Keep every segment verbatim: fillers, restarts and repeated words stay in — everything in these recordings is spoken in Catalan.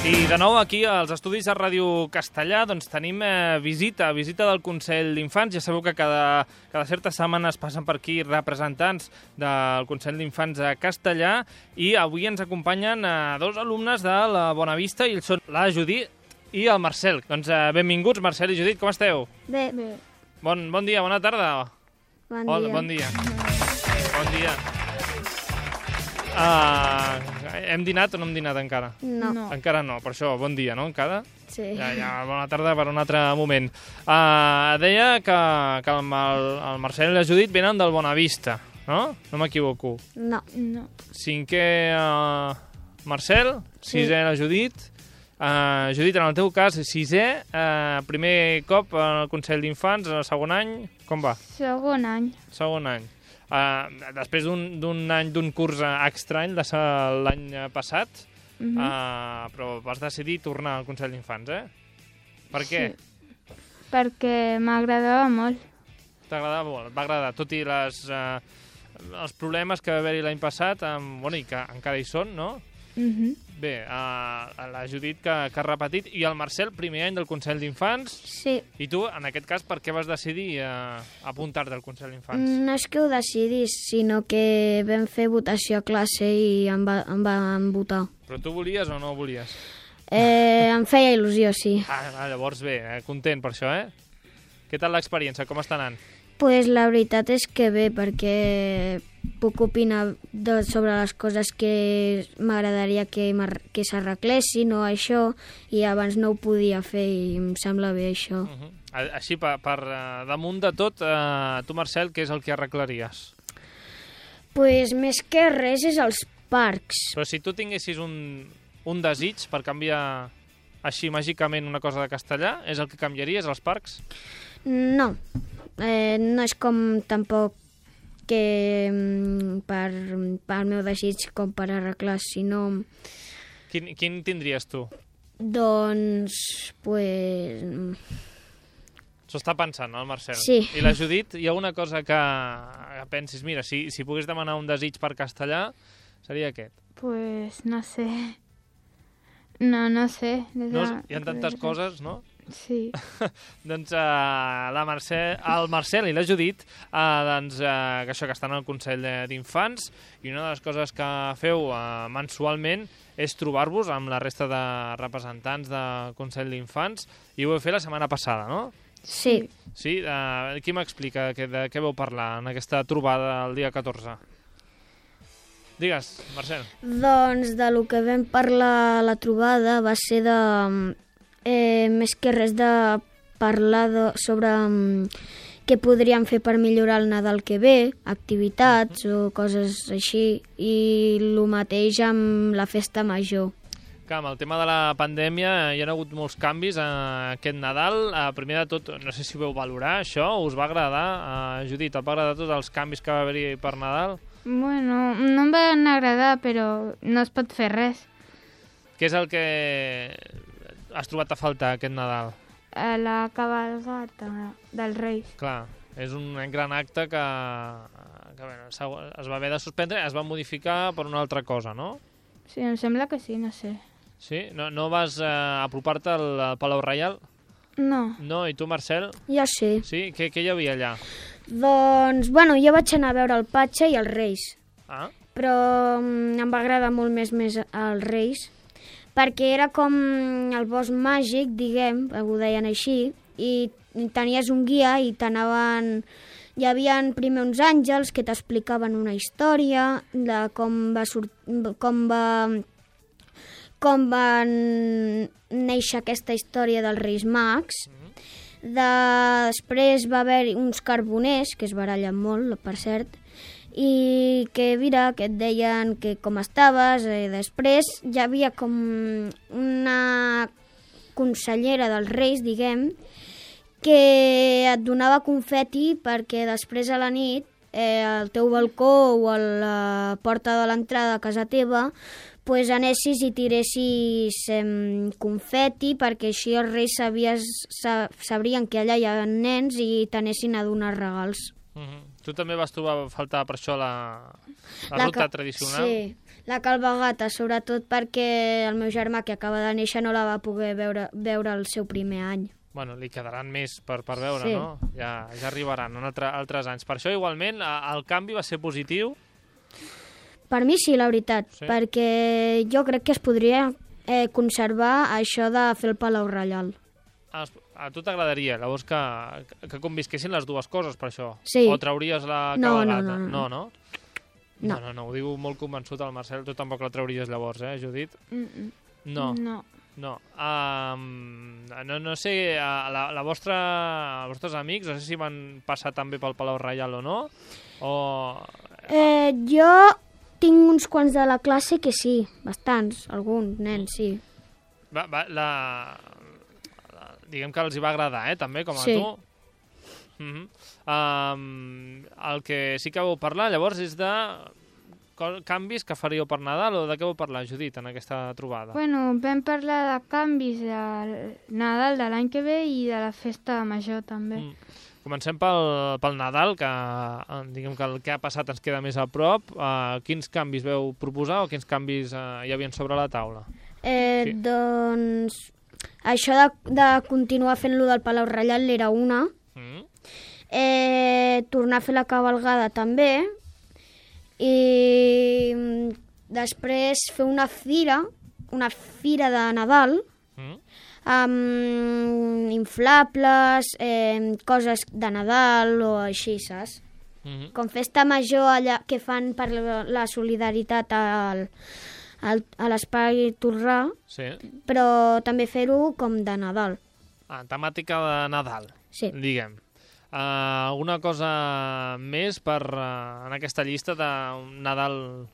I de nou aquí als estudis de Ràdio Castellà doncs tenim eh, visita, visita del Consell d'Infants. Ja sabeu que cada, cada certes setmanes passen per aquí representants del Consell d'Infants de Castellà i avui ens acompanyen eh, dos alumnes de la Bonavista i ells són la Judit i el Marcel. Doncs eh, benvinguts, Marcel i Judit, com esteu? Bé. Bé. Bon, bon dia, bona tarda. Bon Hola, dia. bon dia. Bon dia. Uh, hem dinat o no hem dinat encara? No. No. Encara no, per això, bon dia, no? Encara? Sí. Ja, ja, bona tarda per un altre moment. Uh, deia que, que el, el Marcel i la Judit venen del Bonavista, no? No m'equivoco. No. No. Cinquè uh, Marcel, sisè la Judit. Uh, Judit, en el teu cas, sisè, uh, primer cop al Consell d'Infants, el segon any, com va? Segon any. Segon any. Uh, després d'un any d'un curs estrany de l'any passat, Uh -huh. uh, però vas decidir tornar al Consell d'Infants, eh? Per què? Sí. Perquè m'agradava molt. T'agradava molt, et va agradar, tot i les, uh, els problemes que va haver-hi l'any passat, um, bueno, i que encara hi són, no? Uh -huh. Bé, uh, la Judit que, que ha repetit, i el Marcel, primer any del Consell d'Infants. Sí. I tu, en aquest cas, per què vas decidir uh, apuntar-te al Consell d'Infants? No és que ho decidís, sinó que vam fer votació a classe i em, va, em van votar. Però tu volies o no volies? Eh, em feia il·lusió, sí. Ah, ah, llavors bé, eh? Content per això, eh? Què tal l'experiència? Com està anant? Pues la veritat és que bé, perquè puc opinar de, sobre les coses que m'agradaria que, que s'arreglessin o això, i abans no ho podia fer i em sembla bé això. Uh -huh. Així, per, per uh, damunt de tot, uh, tu, Marcel, què és el que arreglaries? Pues més que res és els parcs. Però si tu tinguessis un, un desig per canviar així màgicament una cosa de castellà, és el que canviaries, els parcs? No, eh, no és com tampoc que mm, per, per meu desig com per arreglar, sinó... Quin, quin tindries tu? Doncs, pues... S'ho està pensant, no, el Marcel? Sí. I la Judit, hi ha una cosa que, que pensis, mira, si, si pogués demanar un desig per castellà, seria aquest. Pues no sé. No, no sé. No, hi ha tantes coses, no? Sí. doncs uh, la Marcel, el Marcel i la Judit uh, doncs, uh, que això que estan al Consell d'Infants, i una de les coses que feu uh, mensualment és trobar-vos amb la resta de representants del Consell d'Infants, i ho heu fet la setmana passada, no? Sí. Sí? Uh, qui m'explica que, de què vau parlar en aquesta trobada el dia catorze? Digues, Marcel. Doncs de lo que vam parlar a la trobada va ser de... Eh, més que res de parlar de, sobre um, què podríem fer per millorar el Nadal que ve, activitats o coses així, i el mateix amb la festa major. Que amb el tema de la pandèmia hi ha hagut molts canvis eh, aquest Nadal. Eh, primer de tot, no sé si vau valorar això, us va agradar? Eh, Judit, et va agradar tots els canvis que va haver-hi per Nadal? Bueno, no em van agradar, però no es pot fer res. Què és el que has trobat a faltar aquest Nadal? A la cabalgata dels Reis. Clar, és un gran acte que, que bueno, es va haver de suspendre, es va modificar per una altra cosa, no? Sí, em sembla que sí, no sé. Sí? No, no vas eh, apropar-te al, al Palau Reial? No. No, i tu, Marcel? Jo sí. Sí? Què, què hi havia allà? Doncs, bueno, jo vaig anar a veure el Patxa i els Reis, Ah? però mm, em va agradar molt més més els Reis, perquè era com el bosc màgic, diguem, ho deien així, i tenies un guia i t'anaven... Hi havia primer uns àngels que t'explicaven una història de com va, sort... com va... com van néixer aquesta història dels Reis Mags. De... Després va haver uns carboners, que es barallen molt, per cert, i que, mira, que et deien que com estaves, i després hi havia com una consellera dels Reis, diguem, que et donava confeti perquè després a la nit eh, al teu balcó o a la porta de l'entrada a casa teva pues anessis i tiressis eh, confeti perquè així els Reis sabies, sa, sabrien que allà hi ha nens i t'anessin a donar regals. Uh -huh. Tu també vas trobar a faltar per això la, la, La ruta ca- tradicional? Sí, La Calvagata, sobretot perquè el meu germà, que acaba de néixer, no la va poder veure, veure el seu primer any. Bueno, li quedaran més per, per veure, Sí. no? Ja, ja arribaran en altre, altres anys. Per això, igualment, a- el canvi va ser positiu. Per mi sí, la veritat, Sí. perquè jo crec que es podria eh, conservar això de fer el Palau Reial. A, a tu t'agradaria, llavors, que, que convisquessin les dues coses, per això? Sí. O trauries la No, no, cabalgata? no, no. No, no? No. No, no, no, ho diu molt convençut el Marcel. Tu tampoc la trauries llavors, eh, Judit? Mm, mm. No. No. No, um, no, no sé, a la, la vostra, els vostres amics, no sé si van passar també pel Palau Reial o no, o... Eh, jo tinc uns quants de la classe que sí, bastants, alguns nens, sí. Va, va, la, la, diguem que els hi va agradar, eh, també, com a Sí. tu. Mm-hmm. um, el que sí que vau parlar, llavors, és de co- canvis que faríeu per Nadal, o de què vau parlar, Judit, en aquesta trobada? Bueno, vam parlar de canvis de Nadal de l'any que ve i de la festa major també. Mm. Comencem pel, pel Nadal, que eh, diguem que el que ha passat ens queda més a prop. Uh, quins canvis veu proposar o quins canvis uh, hi havia sobre la taula? Eh, Sí. Doncs això de, de continuar fent-lo del Palau Reial era una, Mm? eh, tornar a fer la cabalgada també, i mm, després fer una fira, una fira de Nadal, Mm? amb inflables, eh, coses de Nadal o així, saps? Mm-hmm. Com festa major allà que fan per la la solidaritat al, al, a l'espai Torrà, Sí. però també fer-ho com de Nadal. Ah, temàtica de Nadal, Sí. diguem. Uh, alguna cosa més per uh, en aquesta llista de Nadal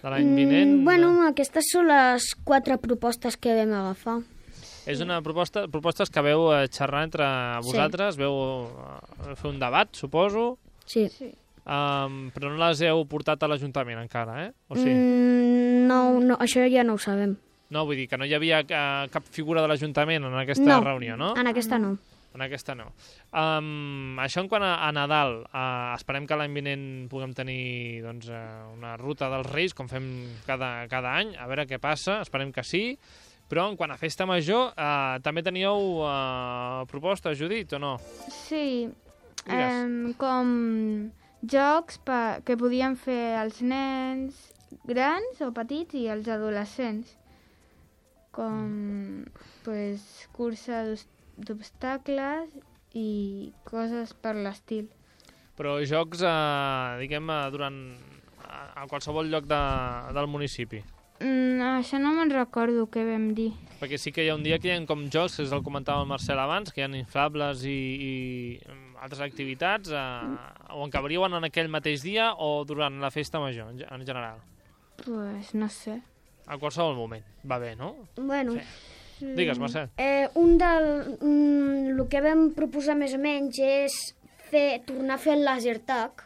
de l'any vinent? Mm, bueno, aquestes són les quatre propostes que vam agafar. És una proposta, propostes que veu eh, xerrar entre Sí. vosaltres, veu eh, fer un debat, suposo, Sí. Sí. um, però no les heu portat a l'Ajuntament encara, eh? O sí? Mm, no, no, això ja no ho sabem. No, vull dir que no hi havia uh, cap figura de l'Ajuntament en aquesta No, reunió, no? en aquesta no. En aquesta no. Um, això en quant a, a Nadal, uh, esperem que l'any vinent puguem tenir doncs, uh, una ruta dels Reis, com fem cada, cada any, a veure què passa, esperem que sí. Però en quant a festa major, uh, també teníeu uh, propostes, Judit, o no? Sí, Digues. em, com jocs pa, que podien fer els nens grans o petits i els adolescents, com pues, cursa d'os- d'obstacles i coses per l'estil. Però jocs, uh, diguem, uh, durant a, a qualsevol lloc de, del municipi. Mm, això no me'n recordo què vam dir. Perquè sí que hi ha un dia que hi ha com jocs, que es el comentava el Marcel abans, que hi ha inflables i, i mm, altres activitats, eh, o en cabrien en aquell mateix dia o durant la festa major, en ge- en general. Pues no sé. A qualsevol moment. Va bé, no? Bueno, Sí. Digues, Marcel. eh, un del... Mm, el que vam proposar més o menys és fer, tornar a fer el laser tag.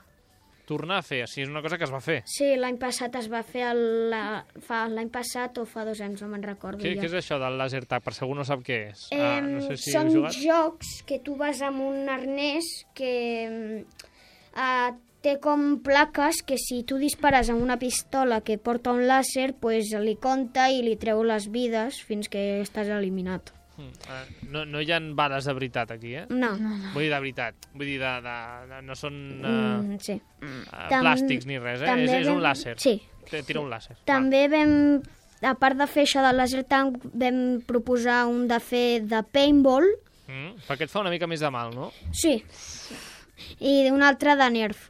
Tornar a fer, sí, és una cosa que es va fer. Sí, l'any passat es va fer el, la, fa l'any passat o fa dos anys, no me'n recordo Què, ja. què és això del laser tag? Per si algú no sap què és. Eh, ah, no sé si són heu jugat. jocs que tu vas amb un arnès que eh, té com plaques que si tu dispares amb una pistola que porta un làser, pues li compta i li treu les vides fins que estàs eliminat. Mm, eh, no, no hi ha bales de veritat aquí, eh? No. Vull dir de veritat. Vull dir, de, de, de, no són uh, Mm, sí. uh, Tam- plàstics ni res, eh? també És, és un vam- làser. Sí. T- Tira un làser. També vam, a part de fer això del laser tag, vam proposar un de fer de paintball, Va. Mm, perquè et fa una mica més de mal, no? sí, i un altre de nerf.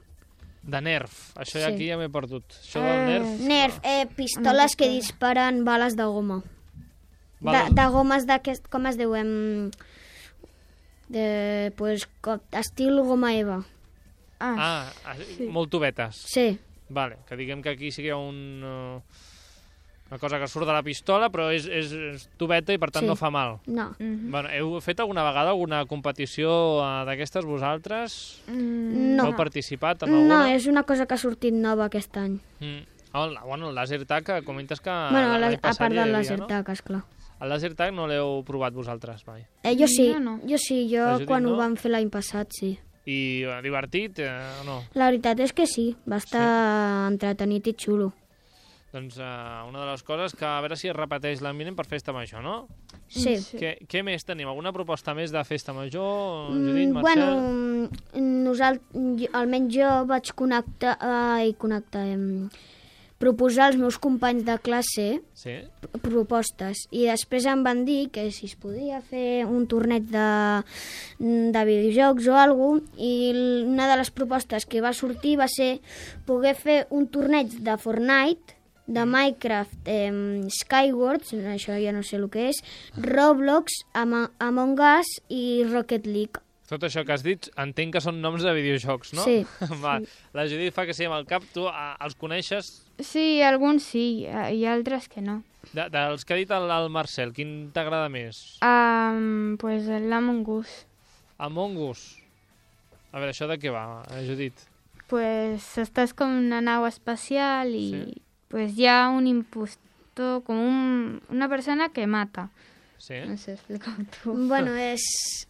De nerf. Això Sí. aquí ja m'he perdut. Això del Eh, nerf... Nerf, eh, pistoles que disparen bales de goma. De, Bales- de gomes d'aquest, com es diu? Em, de, pues, com, estil goma Eva. Ah, Ah, ah, molt tubetes. Sí, Vale, que diguem que aquí sí que hi ha un, uh, una cosa que surt de la pistola, però és, és, és tubeta i per tant Sí. no fa mal. no. mhm. Bueno, heu fet alguna vegada alguna competició uh, d'aquestes vosaltres? Mm, No. Heu participat en No, alguna? és una cosa que ha sortit nova aquest any. Mm. Oh, el, bueno, el laser tag, que comentes que bueno, la, l'any a passat part ja hi del havia, laser no? tag, esclar. El laser tag no l'heu provat vosaltres mai. Eh, jo sí, Jo no. jo sí, jo La Judit quan no? ho vam fer l'any passat, sí. I uh, divertit eh, o no? La veritat és que sí, va estar entretenit i xulo. Doncs uh, una de les coses que a veure si es repeteix l'any vinent per festa major, no? Sí. Sí. Què, què més tenim? Alguna proposta més de festa major? Mm, Judit, Marcel? bueno, nosaltres, almenys jo vaig connectar, ai, connectar, em, proposar als meus companys de classe Sí? propostes i després em van dir que si es podia fer un torneig de, de videojocs o alguna cosa, i una de les propostes que va sortir va ser poder fer un torneig de Fortnite, de Minecraft, eh, Skyward, això ja no sé el que és, Roblox, Am Among Us i Rocket League. Tot això que has dit, entenc que són noms de videojocs, no? Sí. Va, la Judit fa que sí amb el cap. Tu a, els coneixes? Sí, alguns sí, i altres que no. De, dels que ha dit el, el Marcel, quin t'agrada més? Um, pues l'Among Us. Among Us. A veure, això de què va, eh, Judit? Pues estàs com en una nau espacial i Sí. pues hi ha un impostor, com un, una persona que mata. Sí? No sé, explica-ho tu. Bueno, és...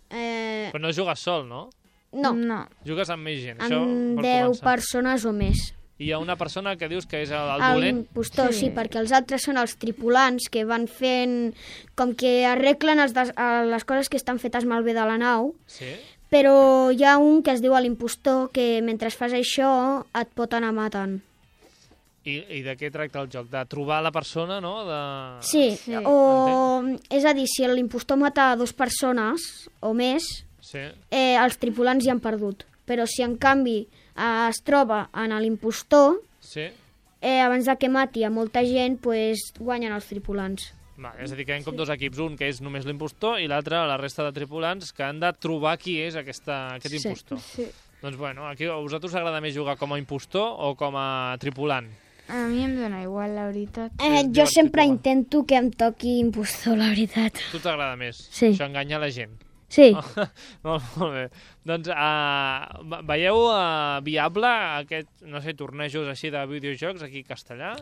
Eh, Però no jugues sol, no? no, No. Jugues amb més gent, això amb per deu començar. persones o més. I hi ha una persona que dius que és el, el dolent? L'impostor, sí. Sí. sí, perquè els altres són els tripulants que van fent... com que arreglen els des, eh, les coses que estan fetes malbé de la nau, Sí? però hi ha un que es diu l'impostor que mentre fas això et pot anar matant. I, I de què tracta el joc? De trobar la persona, no? De... Sí, Sí. o... és a dir, si l'impostor mata dues persones o més, Sí. eh, els tripulants ja han perdut. Però si en canvi eh, es troba en l'impostor, Sí? eh, abans de que mati a molta gent, pues, guanyen els tripulants. Va, és a dir, que hi ha com dos equips, un que és només l'impostor i l'altre la resta de tripulants que han de trobar qui és aquesta, aquest Sí. impostor. Sí. Doncs bueno, aquí a vosaltres us agrada més jugar com a impostor o com a tripulant? A mi em dona igual, la veritat. Eh, És jo divertit sempre igual. intento que em toqui impostor, la veritat. Tu t'agrada més? Sí. Això enganya la gent. Sí, molt, molt bé. Doncs uh, veieu uh, viable aquest, no sé, tornejos així de videojocs aquí a Castellà?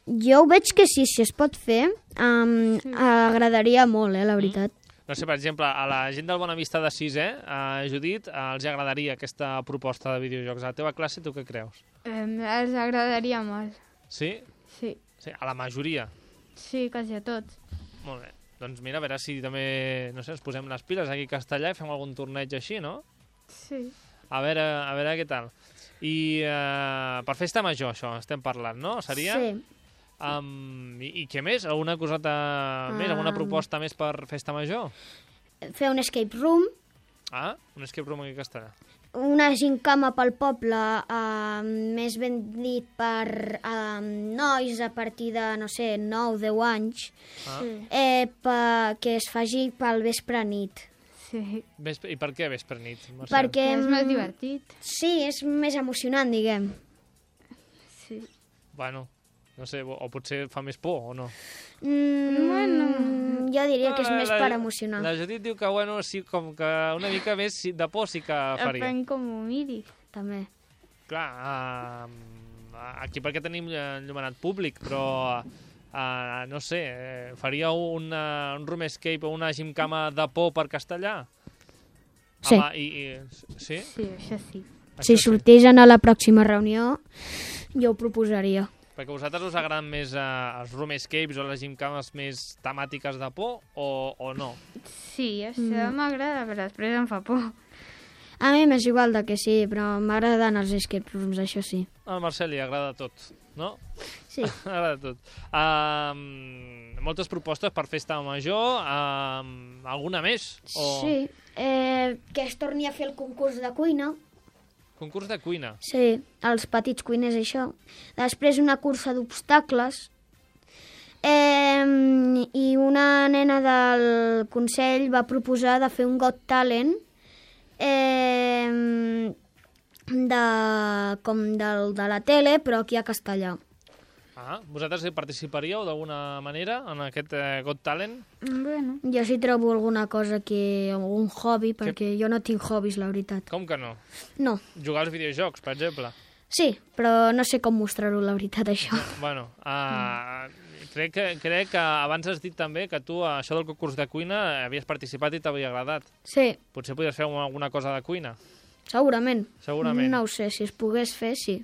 jo ho veig que sí, si es pot fer, um, agradaria molt, eh, la veritat. No sé, per exemple, a la gent del Bonavista de sisè, a Judit, uh, els agradaria aquesta proposta de videojocs. A la teva classe, tu què creus? Eh, els agradaria molt. Sí? Sí. Sí, a la majoria. Sí, quasi a tots. Molt bé. Doncs mira, a veure si també, no sé, ens posem les piles aquí a Castellà i fem algun torneig així, no? Sí. A veure, a veure què tal. I uh, per festa major, això, estem parlant, no? Seria? Sí. Um, i, I què més? Alguna coseta més? Alguna Um. proposta més per festa major? Fer un escape room, Ah, un escape room aquí a Castellà. una gincama pel poble, eh, més ben dit per eh, nois a partir de, no sé, nou deu anys, Ah. Sí. eh, pa, que es faci pel vespre nit. Sí. Vespre, I per què vespre nit, Marcel? Perquè És més mm, divertit. Sí, és més emocionant, diguem. Sí. Bueno, no sé, o, o potser fa més por o no? Mm, Bueno. Jo diria que és No, més per emocionar. La Judit diu que, bueno, sí, com que una mica més sí, de por sí que faria. Depèn com ho miri. També. Clar, uh, aquí perquè tenim enllumenat públic, però uh, no sé, eh, faria un, uh, un room escape o una gimcama de por per Castellà? Sí. Home, i, i, sí? Sí, això sí. Si Això sí. sortís a la pròxima reunió, jo ho proposaria. Perquè a vosaltres us agraden més uh, els room escapes o les gimcames més temàtiques de por o, o no? Sí, això m'agrada, però després em fa por. A mi m'és igual de que sí, però m'agraden els escape rooms, això sí. Al Marcel li agrada tot, no? Sí. Agrada tot. Um, moltes propostes per festa major. Um, alguna més? O Sí, eh, que es torni a fer el concurs de cuina. concurs de cuina. Sí, els petits cuiners, això. Després una cursa d'obstacles. Eh, I una nena del Consell va proposar de fer un Got Talent eh, de, com del, de la tele, però aquí a Castellà. Ah, vosaltres hi participaríeu d'alguna manera en aquest eh, Got Talent? Bueno. Jo sí trobo alguna cosa que... algun hobby, perquè jo no tinc hobbies, la veritat. Com que no? No, Jugar als videojocs, per exemple. sí, però no sé com mostrar-ho, la veritat, això. Bueno, uh, crec, que, crec que abans has dit també que tu, a això del concurs de cuina, havies participat i t'havia agradat. Sí, Potser podries fer alguna cosa de cuina. segurament. Segurament. No ho sé, si es pogués fer, sí.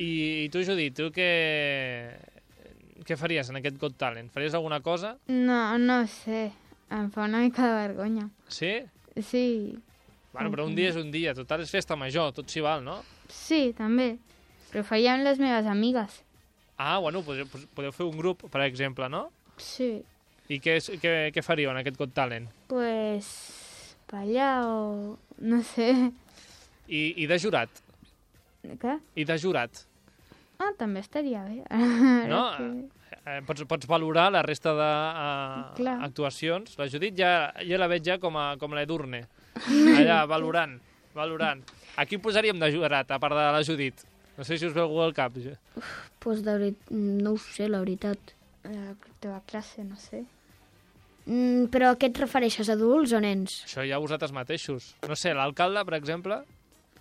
I, i tu, Judit, tu què, què faries en aquest Got Talent? Faries alguna cosa? No, no sé. Em fa una mica de vergonya. Sí? Sí. Bueno, però un dia és un dia. Total, és festa major, tot s'hi val, no? Sí, també. Però ho faria amb les meves amigues. Ah, bueno, podeu, podeu fer un grup, per exemple, no? Sí. I què, és- què, què faríeu en aquest Got Talent? Pues... ballar o... no sé. I, i de jurat? Què? I de jurat? Ah, també estaria bé. No? Ara que- Eh, pots, pots valorar la resta Clar. d'actuacions. La Judit ja, ja la veig ja com a, com l'Edurne. Allà, valorant, valorant. A qui posaríem de jurat, a part de la Judit? No sé si us veu algú al cap. ja. Pues de veritat, no ho sé, la veritat. La teva classe, no sé. Mm, però a què et refereixes, adults o nens? Això ja vosaltres mateixos. No sé, l'alcalde, per exemple,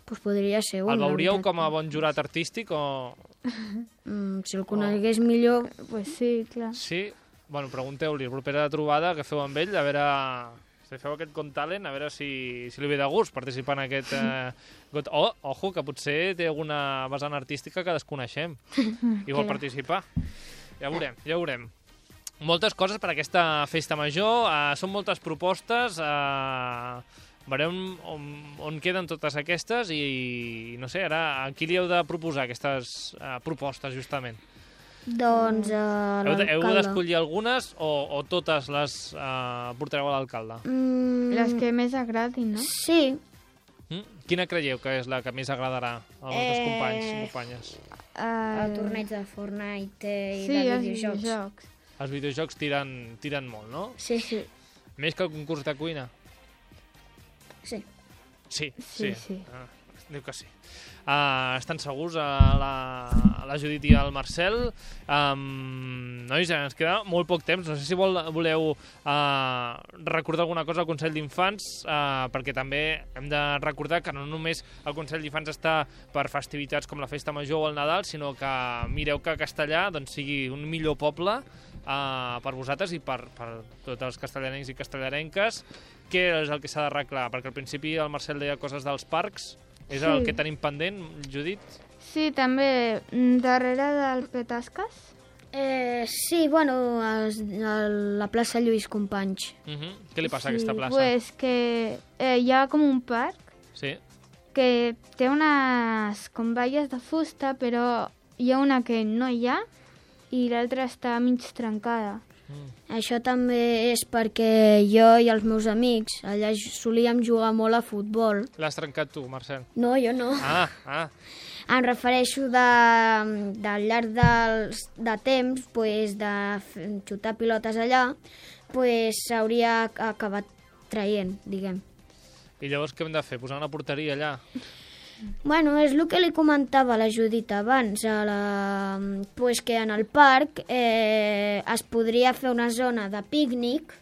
Pues podria ser un. el la veuríeu veritat. com a bon jurat artístic o... Mm, si el conegués millor... Pues sí, clar. Sí? Bueno, pregunteu-li, la propera trobada que feu amb ell, a veure... Si feu aquest Got Talent, a veure si, si li ve de gust participar en aquest... Eh, got... Oh, ojo, que potser té alguna vessant artística que desconeixem i vol Clar. participar. Ja veurem, ja veurem. Moltes coses per aquesta festa major, eh, són moltes propostes, eh, veurem on, on queden totes aquestes i, no sé, ara a qui li heu de proposar aquestes eh, propostes, justament? Doncs a Heu de- Heu l'alcalde. d'escollir algunes o, o totes les eh, portareu a l'alcalde? Mm, Les que més agradin, no? Sí. Mm? Quina creieu que és la que més agradarà als vostres Eh, companys i companyes? El torneig de Fortnite i sí, de els videojocs. videojocs. Els videojocs tiren, tiren molt, no? Sí, sí. Més que el concurs de cuina? Sí. Sí, sí. Sí, sí. Ah, diu que sí. Uh, estan segurs a la, a la Judit i al Marcel. Um, nois, ens queda molt poc temps. No sé si vol, voleu uh, recordar alguna cosa al Consell d'Infants, uh, perquè també hem de recordar que no només el Consell d'Infants està per festivitats com la Festa Major o el Nadal, sinó que mireu que Castellà doncs, sigui un millor poble uh, per vosaltres i per, per tots els castellarencs i castellarenques. Què és el que s'ha d'arreglar? Perquè al principi el Marcel deia coses dels parcs. És Sí. el que tenim pendent, Judit? Sí, també mm, darrere del Petasques. Eh, sí, bueno, a la plaça Lluís Companys. Uh -huh. Què li passa a sí, aquesta plaça? Pues que eh, hi ha com un parc Sí. que té unes com valles de fusta, però hi ha una que no hi ha i l'altra està mig trencada. Mm. Això també és perquè jo i els meus amics allà j- solíem jugar molt a futbol. L'has trencat tu, Marcel. No, jo no. Ah, ah. Em refereixo de, de al llarg dels, de temps, pues, de f- xutar pilotes allà, pues, s'hauria acabat traient, diguem. I llavors què hem de fer? Posar una porteria allà? Bueno, és el que li comentava a la Judit abans, a la, pues que en el parc eh, es podria fer una zona de pícnic,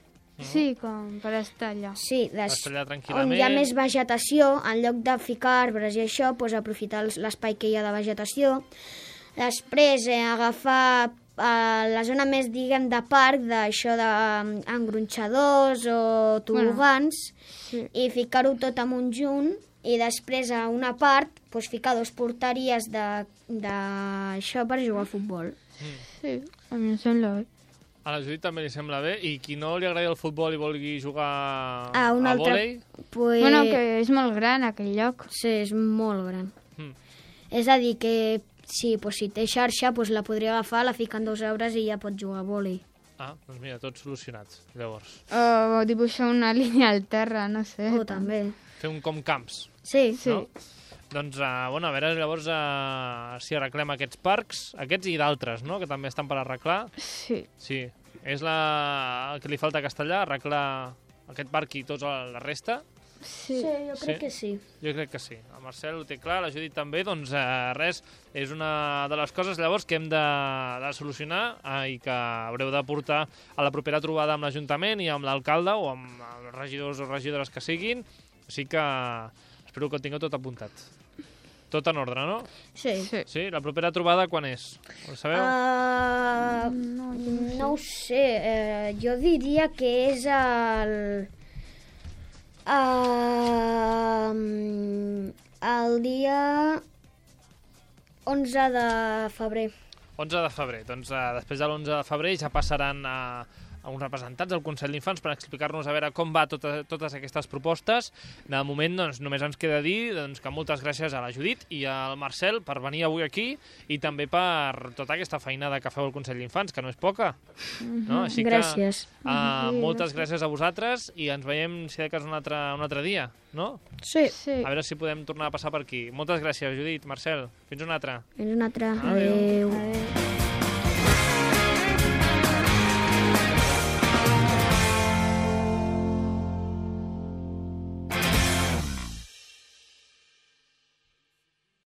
Sí, com per estar allà. sí, des, Estar allà on tranquil·lament. hi ha més vegetació, en lloc de ficar arbres i això, pues, aprofitar els- l'espai que hi ha de vegetació. Després eh, agafar eh, la zona més, diguem, de parc, d'això d'engronxadors o tobogans, Sí. i ficar-ho tot en un junt, i després a una part pues, ficar dos porteries de- d'això per jugar a futbol. Sí, a mi em sembla bé. A la Judit també li sembla bé. I qui no li agradi el futbol i vulgui jugar Ah, un a altre- vòlei? Pues, Bueno, que és molt gran aquell lloc. Sí, és molt gran. Mm. És a dir, que sí, pues, si té xarxa, pues, la podria agafar, la fica en dos euros i ja pot jugar a vòlei. Ah, doncs mira, tots solucionats, llavors. O dibuixar una línia al terra, no sé. O també. Fer un com camps. Sí, Sí. No? Doncs, uh, bueno, a veure llavors uh, si arreglem aquests parcs, aquests i d'altres, no?, que també estan per arreglar. Sí. Sí, és la... el que li falta a Castellà, arreglar aquest parc i tota la resta. Sí. jo crec que sí. Jo crec que sí. El Marcel ho té clar, la Judit també, doncs eh, res, és una de les coses llavors que hem de, de solucionar eh, i que haureu de portar a la propera trobada amb l'Ajuntament i amb l'alcalde o amb els regidors o regidores que siguin. Així que espero que ho tingueu tot apuntat. Tot en ordre, no? Sí. Sí. Sí? La propera trobada quan és? Ho sabeu? Uh, No, no ho sé, eh, jo diria que és el... Uh, el dia onze de febrer. onze de febrer. Doncs uh, després de l'onze de febrer ja passaran a... a uns representants del Consell d'Infants per explicar-nos a veure com va tota, totes aquestes propostes. De moment, doncs, només ens queda dir doncs, que moltes gràcies a la Judit i al Marcel per venir avui aquí i també per tota aquesta feinada que feu al Consell d'Infants, que no és poca. No? Així Gràcies. Que, uh, moltes gràcies a vosaltres i ens veiem, si de cas, un altre, un altre dia, no? Sí. Sí. A veure si podem tornar a passar per aquí. Moltes gràcies, Judit, Marcel. Fins un altre. Fins un altre. Adéu. Adéu. Adéu.